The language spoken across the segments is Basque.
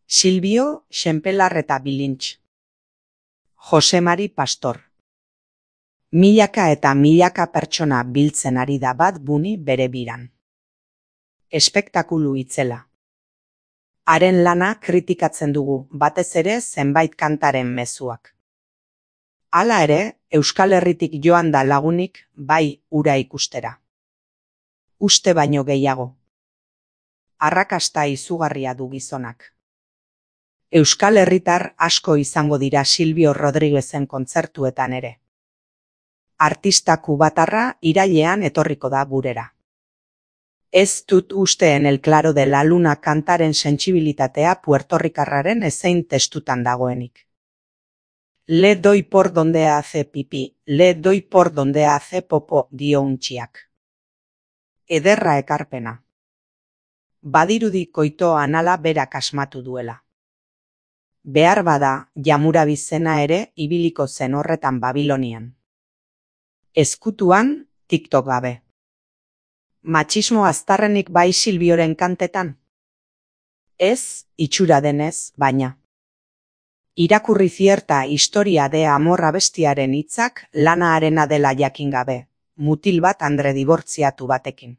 Silbio, Xenpelar eta Bilintx. Jose Mari Pastor. Milaka eta milaka pertsona biltzen ari da bat buni bere biran. Espektakulu itzela. Haren lana kritikatzen dugu, batez ere zenbait kantaren mezuak. Hala ere, Euskal Herritik joan da lagunik bai ura ikustera. Uste baino gehiago. Arrakasta izugarria du gizonak. Euskal Herritar asko izango dira Silbio Rodriguezen kontzertuetan ere. Artista kubatarra irailean etorriko da gurera. Ez dut uste en el claro de la luna kantaren sentsibilitatea puertorrikarraren ezein testutan dagoenik. Le doy por donde hace pipí, le doy por donde hace popo, dio untxiak. Ederra ekarpena. Badirudi koito anala berak asmatu duela. Behar bada, Jamurabizena ere ibiliko zen horretan Babilonian. Ezkutuan, TikTok gabe. Matxismo aztarrenik bai Silbioren kantetan? Ez, itxura denez, baina. Irakurri zierta historia de amor abestiaren hitzak lana harena dela jakin gabe, mutil bat andre dibortziatu batekin.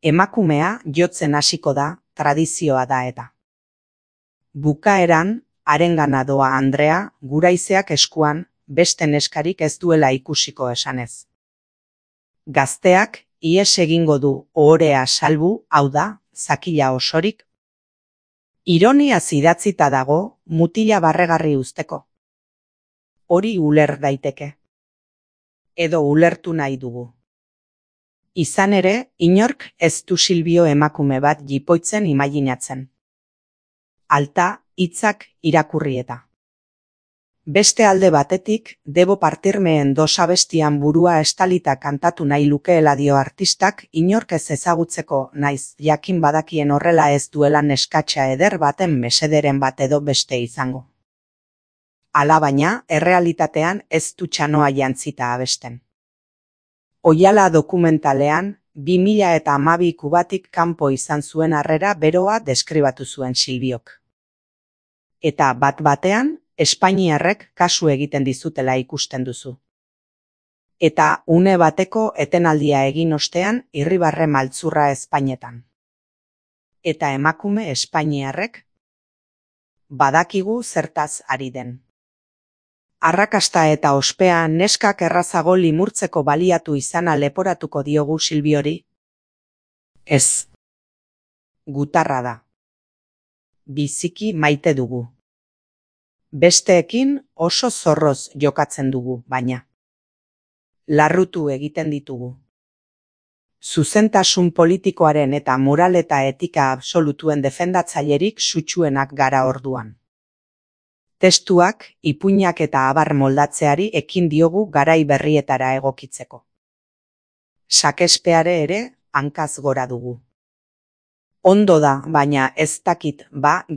Emakumea jotzen hasiko da, tradizioa da eta. Bukaeran, harengana doa Andrea, guraizeak eskuan, beste neskarik ez duela ikusiko esanez. Gazteak, ihes egingo du ohorea salbu, hau da, zakila osorik. Ironiaz idatzita dago, mutila barregarri uzteko. Hori uler daiteke. Edo ulertu nahi dugu. Izan ere, inork ez du Silbio emakume bat jipoitzen imaginatzen. Alta, hitzak irakurrieta. Beste alde batetik, debo partirmeen dos abestian burua estalita kantatu nahi lukeela dio artistak inork ez ezagutzeko naiz jakin badakien horrela ez duela neskatxa eder baten mesederen bat edo beste izango. Alabaina, errealitatean ez du txanoa jantzita abesten. Oihala dokumentalean, 2012 Kubatik kanpo izan zuen harrera beroa deskribatu zuen Silbiok. Eta bat-batean, Espainiarrek kasu egiten dizutela ikusten duzu. Eta une bateko etenaldia egin ostean irribarre maltzurra Espainetan. Eta emakume Espainiarrek badakigu zertaz ari den. Arrakasta eta ospea neskak errazago limurtzeko baliatu izana leporatuko diogu Silbiori? Ez. Gutarra da. Biziki maite dugu. Besteekin oso zorroz jokatzen dugu, baina. Larrutu egiten ditugu. Zuzentasun politikoaren eta moral eta etika absolutuen defendatzailerik sutsuenak gara orduan. Testuak, ipuinak eta abar moldatzeari ekin diogu garai berrietara egokitzeko. Sakespeare ere hankaz gora dugu. Ondo da, baina ez dakit,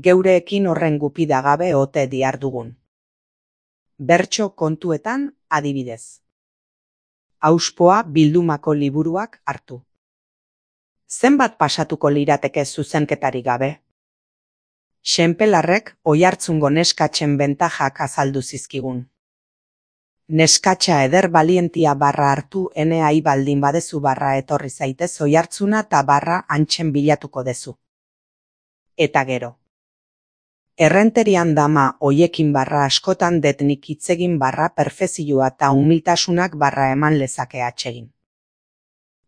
geureekin horren gupida gabe ote dihardugun. Bertso kontuetan, adibidez. Auspoa bildumako liburuak hartu. Zenbat pasatuko lirateke zuzenketari gabe? Xenpelarrek oihartzungo neskatzen bentajak azaldu zizkigun. Neskatxa eder balientia barra hartu enea baldin badezu barra etorri zaitez oihartzuna eta barra antxen bilatuko dezu. Eta gero. Errenterian dama oiekin barra askotan detnik hitzegin barra perfezioa eta humiltasunak barra eman lezake atsegin.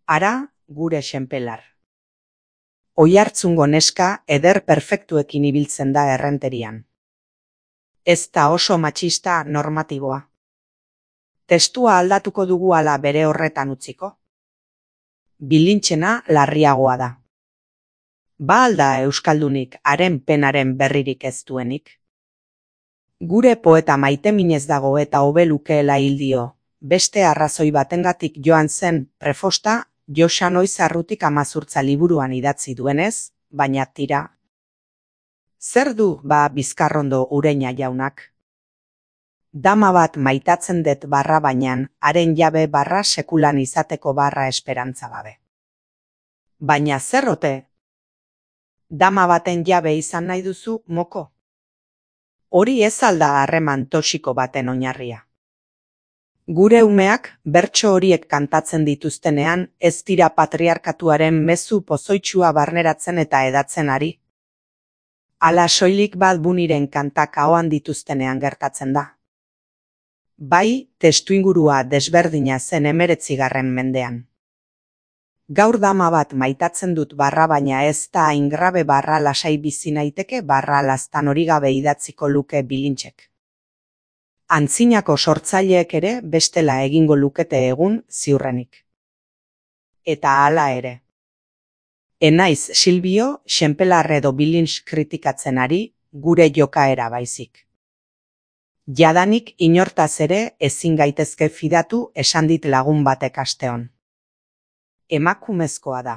Ara, gure Xenpelar. Oihartzungo neska eder perfektuekin ibiltzen da errenterian. Ez da oso matxista normatiboa. Testua aldatuko dugu ala bere horretan utziko? Bilintxena larriagoa da. Ba alda euskaldunik haren penaren berririk ez duenik? Gure poeta maiteminez dago eta hobe lukeela hil dio, beste arrazoi batengatik joan zen prefosta Joxa Noiz Arrutik 18 liburuan idatzi duenez, baina tira. Zer du Bizkarrondo Ureña jaunak? Dama bat maitatzen dut barra bainan, haren jabe barra sekulan izateko barra esperantza gabe. Baina zer ote? Dama baten jabe izan nahi duzu, moko? Hori ez alda harreman toxiko baten oinarria. Gure umeak bertso horiek kantatzen dituztenean ez dira patriarkatuaren mezu pozoitsua barneratzen eta edatzen ari. Hala soilik bat buniren kantak ahoan dituztenean gertatzen da. Bai, testuingurua desberdina zen 19. mendean. Gaur dama bat maitatzen dut barra baina ez da hain grabe barra lasai bizi naiteke barra laztan hori gabe idatziko luke Bilintxek. Antzinako sortzaileek ere bestela egingo lukete egun ziurrenik. Eta hala ere. Enaiz Silbio, Xenpelar edo Bilintx kritikatzen ari, gure jokaera baizik. Jadanik inortaz ere ezin gaitezke fidatu esan dit lagun batek asteon. Emakumezkoa da.